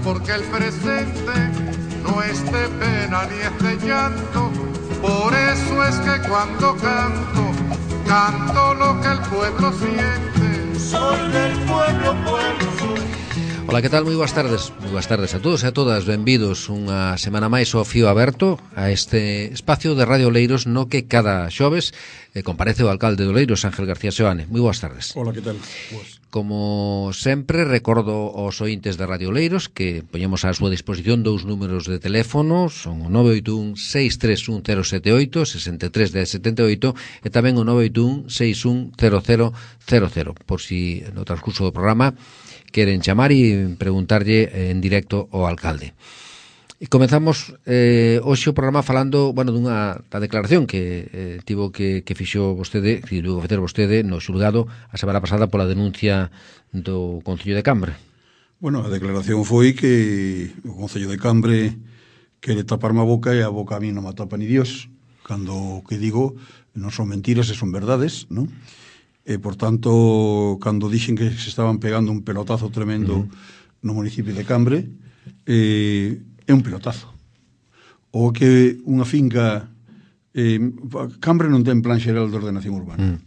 porque el presente no es de pena ni es de llanto. Por eso es que cuando canto, canto lo que el pueblo siente. Soy del pueblo, pueblo soy. Ola, que tal? Moi boas tardes. Moi boas tardes a todos e a todas. Benvidos unha semana máis ao Fío Aberto, a este espacio de Radio Oleiros no que cada xoves comparece o alcalde de Oleiros, Ángel García Seoane. Moi boas tardes. Ola, que tal? Boas. Como sempre, recordo aos ointes de Radio Oleiros que poñemos á súa disposición dous números de teléfono, son o 981-631-078, 63-1078, e tamén o 981-610000, por si no transcurso do programa queren chamar e preguntarlle en directo ao alcalde. E comezamos hoxe o programa falando, dunha declaración que tivo que fixo vostede, que tivo que facer vostede no xulgado a semana pasada pola denuncia do Concello de Cambre. Bueno, a declaración foi que o Concello de Cambre quere taparme a boca e a boca a mí non me tapa ni Dios, cando o que digo non son mentiras e son verdades, non? E, por tanto, cando dixen que se estaban pegando un pelotazo tremendo no municipio de Cambre, é un pelotazo. O que unha finca... Cambre non ten plan xeral de ordenación urbana.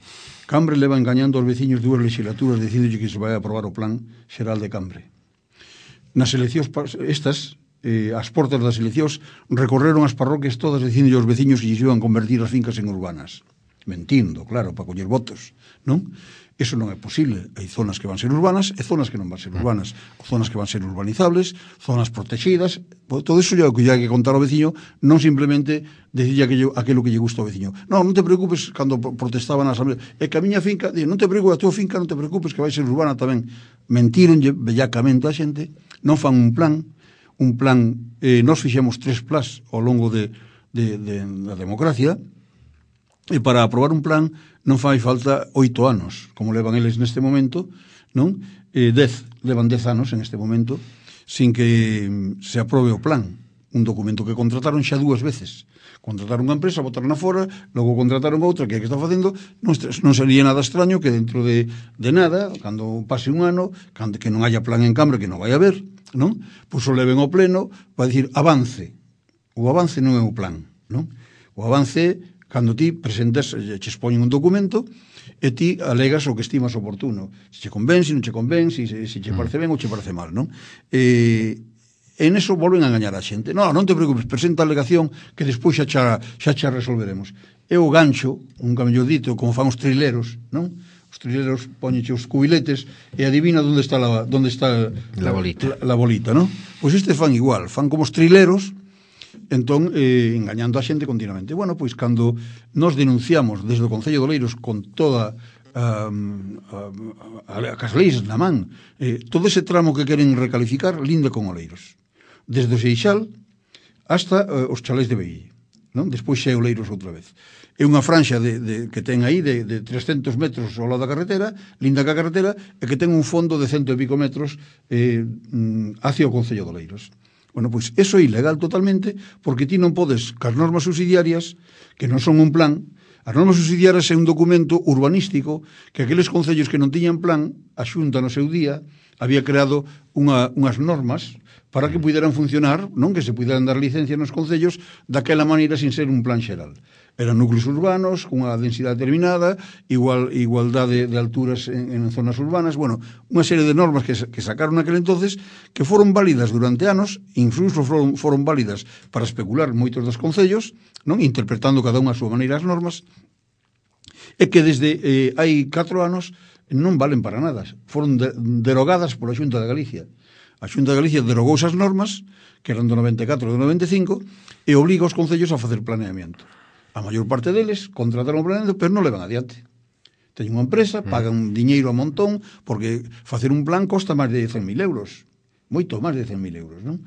Cambre leva engañando aos veciños dúas legislaturas dicindo que se vai a aprobar o plan xeral de Cambre. Nas eleccións estas, as portas das eleccións, recorreron as parroquias todas dicindo aos veciños que se iban convertir as fincas en urbanas. Mentindo, claro, para coller votos, non? Eso non é posible. Hai zonas que van ser urbanas e zonas que non van ser urbanas. Zonas que van ser urbanizables, zonas protegidas. Todo iso é o que hai que contar ao veciño, non simplemente decir aquilo que lle gusta ao veciño. Non te preocupes, cando protestaban na asamblea. É que a miña finca, non te preocupes, a tua finca non te preocupes, que vai ser urbana tamén. Mentironlle bellacamente a xente, non fan un plan. Nós fixemos 3 plans ao longo da democracia. E para aprobar un plan non fai falta 8 anos, como levan eles neste momento, non? 10 anos en este momento, sin que se aprobe o plan. Un documento que contrataron xa 2 veces. Contrataron unha empresa, botaron fora, logo contrataron outra que está facendo, non sería nada extraño que dentro de nada, cando pase un ano, que non haya plan en Cambre, que non vai haber, non? Pois o leven ao pleno para dicir avance. O avance non é o plan, non? O avance é cando ti presentas, che expoñen un documento e ti alegas o que estimas oportuno. Se che convén, se non che convén, se che parece ben ou che parece mal, non? En eso volven a engañar a xente. Non te preocupes, presenta a alegación que despois xa xa resolveremos. É o gancho, un mellor dito, como fan os trileros, non? Os trileros poñeche os cubiletes e adivina onde está la bolita, non? Pois este fan igual, fan como os trileros, entón, engañando a xente continuamente. Bueno, pois, cando nos denunciamos desde o Concello de Oleiros con toda as leis na man, todo ese tramo que queren recalificar, linda con Oleiros. Desde o Seixal hasta os chalés de Beille, non? Despois xa é Oleiros outra vez. É unha franxa que ten aí de 300 metros ao lado da carretera, linda que a carretera, e que ten un fondo de 100 e pico metros hacia o Concello de Oleiros. Bueno, pois, eso é ilegal totalmente, porque ti non podes, cas normas subsidiarias, que non son un plan, as normas subsidiarias é un documento urbanístico que aqueles concellos que non tiñan plan, a Xunta no seu día había creado unhas normas para que puderan funcionar, non, que se puderan dar licencia nos concellos daquela maneira sin ser un plan xeral. Eran núcleos urbanos, con unha densidade determinada, igualdade de alturas en zonas urbanas, unha serie de normas que sacaron naquele entonces que foron válidas durante anos, incluso foron válidas para especular moitos dos concellos, non, interpretando cada unha a súa maneira as normas, e que desde hai 4 anos non valen para nada. Foron derogadas pola Xunta de Galicia. A Xunta de Galicia derogou esas normas, que eran do 94 e do 95, e obliga os concellos a facer planeamiento. A maior parte deles contrataron o planeamento, pero non levan adiante. Teñen unha empresa, pagan diñeiro a montón, porque facer un plan costa máis de 100.000 euros. Moito máis de 100.000 euros, non?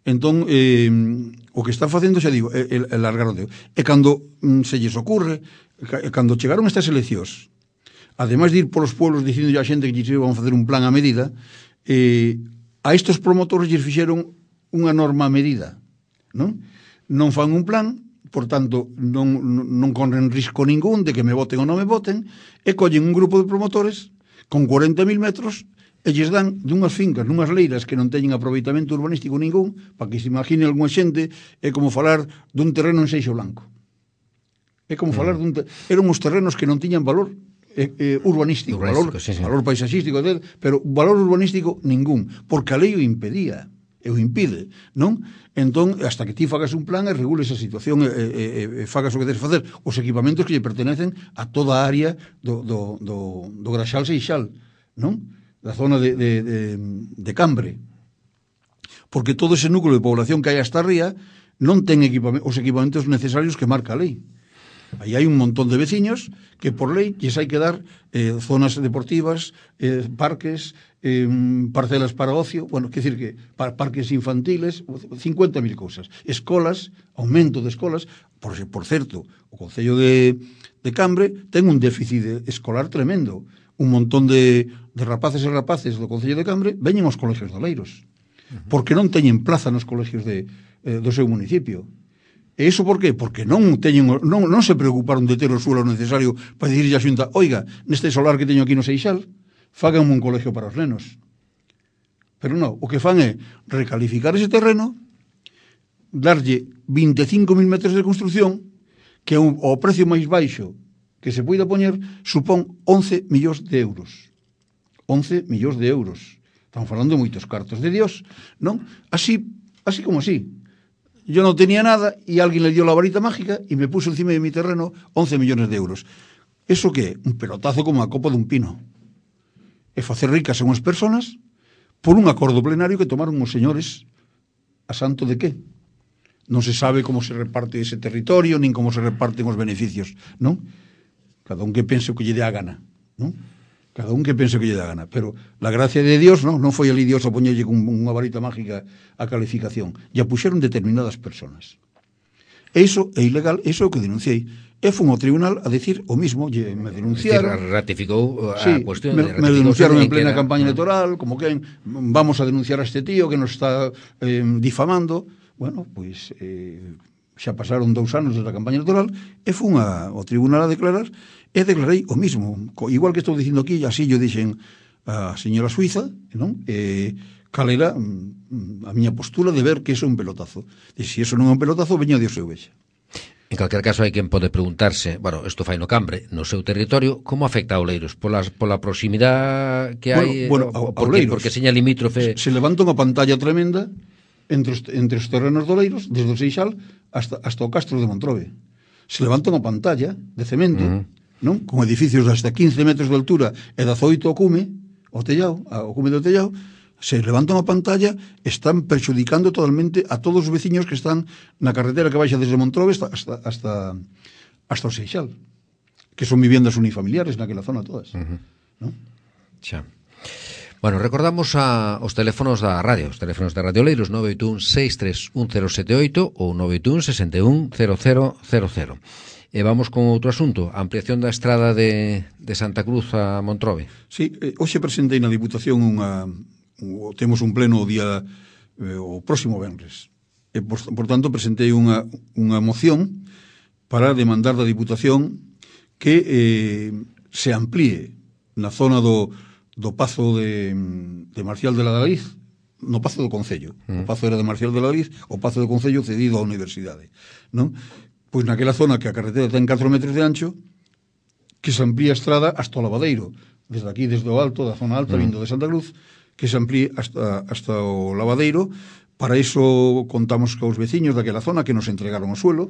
Entón, o que están facendo, xa digo, é largar o dedo. E cando se lles ocurre, cando chegaron estas eleccións, ademais de ir polos pueblos dicindo a xente que lles iban a facer un plan a medida, a estes promotores lles fixeron unha norma a medida, non? Non fan un plan, por tanto, non corren risco ningún de que me voten ou non me voten, e collen un grupo de promotores con 40.000 metros e lles dan dunhas fincas, nunhas leiras que non teñen aproveitamento urbanístico ningún, para que se imagine algunha xente, é como falar dun terreno en Seixo Blanco. É como falar eran uns terrenos que non tiñan valor urbanístico, valor paisaxístico, pero valor urbanístico ningún, porque a lei o impedía, e o impide, non? Entón, hasta que ti fagas un plan e regules a situación e fagas o que tens facer, os equipamentos que lle pertenecen a toda a área do Graxal Seixal, non? Da zona de Cambre. Porque todo ese núcleo de población que hai hasta arriba non ten os equipamentos necesarios que marca a lei. Aí hai un montón de veciños que por lei lles hai que dar zonas deportivas, parques, parcelas para ocio, bueno, quer dicir que parques infantiles, 50.000 cousas, escolas, aumento de escolas, por certo, o Concello de Cambre ten un déficit escolar tremendo. Un montón de rapaces e rapaces do Concello de Cambre veñen aos colegios de Oleiros, porque non teñen plaza nos colegios do seu municipio. E iso por qué? Porque non se preocuparon de ter o suelo necesario para dicirlle a Xunta, oiga, neste solar que teño aquí no Seixal, fagan un colegio para os nenos. Pero non, o que fan é recalificar ese terreno, darlle 25.000 metros de construcción, que ao precio máis baixo que se poida poñer, supón 11 millóns de euros. 11 millóns de euros. Estamos falando de moitos cartos de Dios, non? Así como así. Yo non tenía nada e alguén le dio la varita mágica e me puso encima de mi terreno 11 millones de euros. Eso que un pelotazo como a copa dun pino. E facer ricas a unhas personas por un acordo plenario que tomaron os señores a santo de qué? Non se sabe como se reparte ese territorio, nin como se reparten os beneficios, non? Cada un que pense o que lle dé a gana, non? Cada un que pense o que lle dé a gana. Pero la gracia de Dios, non foi ali Dios a poñerlle con unha varita mágica a calificación. E a puxeron determinadas personas. E iso é ilegal, iso é o que denunciei. E fun ao tribunal a decir o mismo, me denunciaron. Ratificou a cuestión. Me denunciaron en plena campaña electoral, como que vamos a denunciar a este tío que nos está difamando. Bueno, pois xa pasaron 2 anos da campaña electoral e fun ao tribunal a declarar e declarei o mismo. Igual que estou dicindo aquí, así yo dixen a señora Suiza, non? Cal era a miña postura de ver que iso é un pelotazo. E se iso non é un pelotazo, veña Dios e o vexa. En calquer caso, hai quen pode preguntarse, bueno, isto fai no Cambre, no seu territorio, como afecta a Oleiros? Pola proximidade que hai? Bueno, a Oleiros. Porque seña limítrofe. Se levanta unha pantalla tremenda entre os terrenos de Oleiros, desde o Seixal hasta o Castro de Montrobe. Se levanta unha pantalla de cemento, non? Con edificios de hasta 15 metros de altura e 18 ao cume do tellao, se levanta unha pantalla, están perxudicando totalmente a todos os veciños que están na carretera que baixa desde Montrobe hasta o Seixal, que son viviendas unifamiliares naquela zona todas. Non? Xa. Bueno, recordamos os teléfonos da radio, os teléfonos da Radio Oleiros, 981-631078 ou 981-610000. E vamos con outro asunto, a ampliación da estrada de Santa Cruz a Montrobe. Sí, hoxe presentei na Diputación temos un pleno o próximo venres. E, por tanto, presentei unha moción para demandar da Diputación que se amplíe na zona do Pazo de Marcial de la Galiz, no Pazo do Concello. O Pazo era de Marcial de la Galiz, o Pazo do Concello cedido á Universidade, non? Pois naquela zona que a carretera ten 4 metros de ancho, que se amplía a estrada hasta o Lavadeiro, desde aquí, desde o alto, da zona alta, vindo de Santa Cruz, que se amplíe hasta o Lavadeiro. Para iso contamos cos veciños daquela zona que nos entregaron o suelo,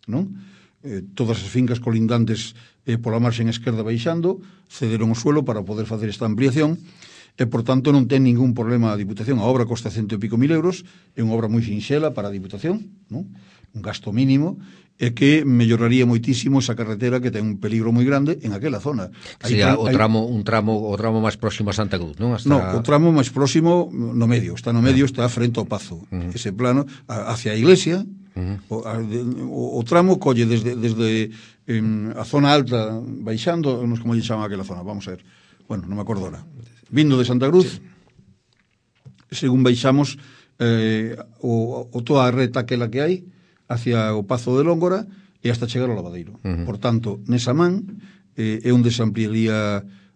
non? Todas as fincas colindantes pola marxen esquerda baixando cederon o suelo para poder facer esta ampliación e, por tanto, non ten ningún problema a Diputación. A obra costa 100 e pico mil euros, é unha obra moi sinxela para a Diputación, non? Un gasto mínimo, e que melloraría moitísimo esa carretera que ten un peligro moi grande en aquela zona. Sería o tramo máis próximo a Santa Cruz, non? No, o tramo máis próximo no medio, está no medio, está frente ao Pazo. Ese plano, hacia a iglesia, o tramo colle desde a zona alta baixando, non sei como lle chama aquela zona, vamos a ver. Bueno, non me acordo ahora. Vindo de Santa Cruz, según baixamos toda a reta aquela que hai, hacia o Pazo de Lóngora e hasta chegar ao Lavadeiro. Por tanto, nesa man é onde se ampliaría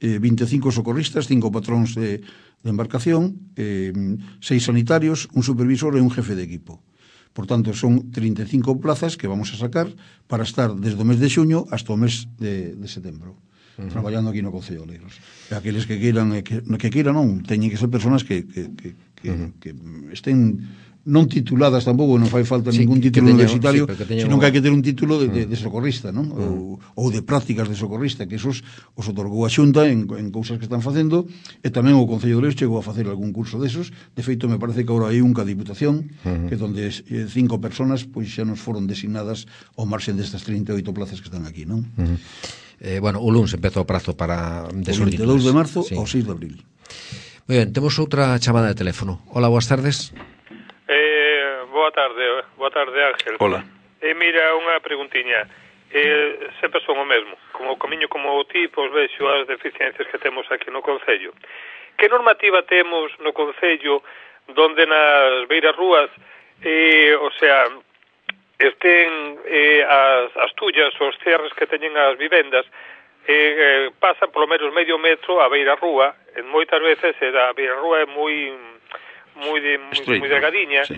25 socorristas, 5 patróns de embarcación, 6 sanitarios, un supervisor e un jefe de equipo. Por tanto, son 35 plazas que vamos a sacar para estar desde o mes de xuño hasta o mes de setembro, traballando aquí no Concello de Oleiros. E aqueles que queiran, non, teñen que ser personas que estén non tituladas tampouco, non fai falta ningún título universitario, sino que hai que ter un título de socorrista, non? Ou de prácticas de socorrista, que esos os otorgou a Xunta en cousas que están facendo, e tamén o Concello de Oleiros chegou a facer algún curso desos. De feito, me parece que agora hai un ca Diputación, que donde 5 personas pois xa nos foron designadas ao marxen destas 38 plazas que están aquí, non? Bueno, o luns empeza o prazo para o 22 de marzo ao 6 de abril. Moi ben, temos outra chamada de teléfono. Hola, boas tardes. Boa tarde, Ángel. Hola. Mira, unha preguntiña. Sempre son o mesmo. Como camiño como ti, pois vexo as deficiencias que temos aquí no Concello. Que normativa temos no Concello donde nas beiras rúas, o sea, estén as tullas, os cerres que teñen as vivendas, pasan polo menos medio metro a beira rúa, en moitas veces a beira rúa é moi delgadiña, sí.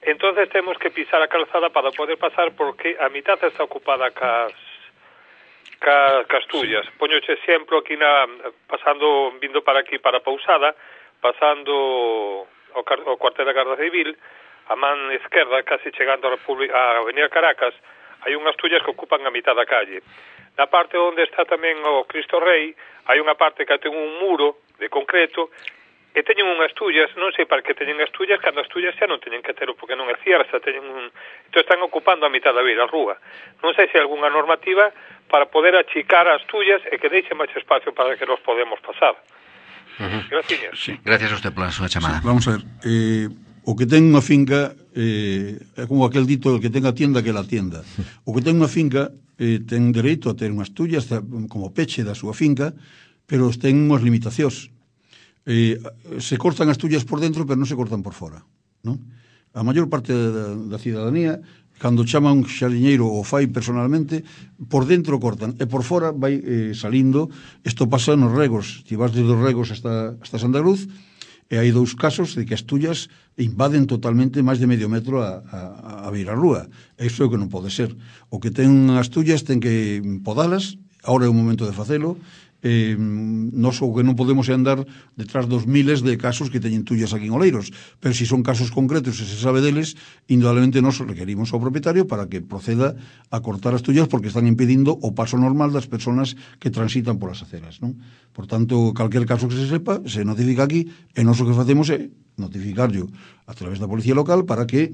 Entonces temos que pisar a calzada para poder pasar, porque a mitad está ocupada cas tullas. Poñoche exemplo aquí vindo para aquí, para Pousada, pasando o cuartel da Garda Civil, a man esquerda, casi chegando a Avenida Caracas, hai unhas tullas que ocupan a mitad da calle. Na parte onde está tamén o Cristo Rei, hai unha parte que ten un muro de concreto, e teñen unhas tullas, non sei para que teñen as tullas, cando as tullas xa non teñen que ter, porque non é cierta, entón están ocupando a mitad da beira rúa. Non sei se hai algunha normativa para poder achicar as tullas e que deixe máis espacio para que nos podemos pasar. Gracias. Sí. Gracias a usted pola súa chamada. Sí, vamos a ver, o que ten unha finca é como aquel dito, el que ten a tienda que la tienda. O que ten unha finca ten dereito a ter unhas tullas como peche da súa finca, pero ten unhas limitacións. Se cortan as tullas por dentro, pero non se cortan por fora, non? A maior parte da cidadanía, cando chama un xardiñeiro ou fai personalmente, por dentro cortan, e por fora vai salindo. Isto pasa nos regos. Ti vas desde os regos hasta Santa Cruz, e hai 2 casos de que as tullas invaden totalmente máis de medio metro a beira rúa. Iso é o que non pode ser. O que ten as tullas ten que podalas, agora é o momento de facelo. Nos o que non podemos é andar detrás dos miles de casos que teñen tullas aquí en Oleiros, pero se son casos concretos e se sabe deles, indudablemente nos requerimos ao propietario para que proceda a cortar as tullas, porque están impedindo o paso normal das persoas que transitan polas aceras, non? Por tanto, calquer caso que se sepa, se notifica aquí, e nós o que facemos é notificarlo a través da policía local para que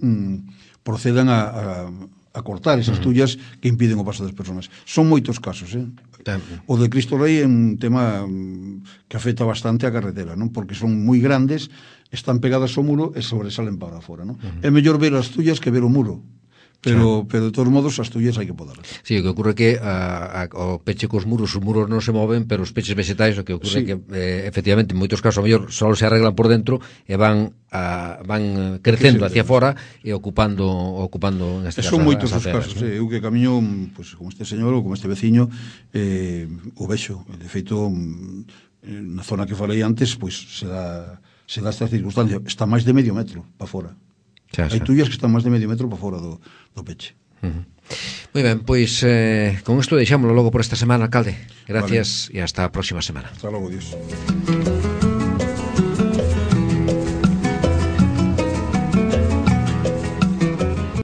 procedan a cortar esas tullas que impiden o paso das persoas. Son moitos casos, O de Cristo Rei é un tema que afecta bastante a carretera, non? Porque son moi grandes, están pegadas ao muro e sobresalen para fora, non? É mellor ver as tullas que ver o muro. Pero de todos modos as tullas hai que podarlas. Sí, o que ocurre que o peche cos muros, os muros non se moven, pero os peches vegetais, o que ocurre que efectivamente en moitos casos a mellor só se arreglan por dentro e van crecendo hacia fora e ocupando neste caso son moitos os casos, eu que camiño pues, como este señor ou como este veciño o vexo, de feito na zona que falei antes, pois se dá esta circunstancia, está máis de medio metro para fora. Hai tullas que están máis de medio metro para fora do peche. Moi ben, pois con isto deixámoslo logo por esta semana, alcalde. Gracias e hasta a próxima semana. Hasta logo, Dios.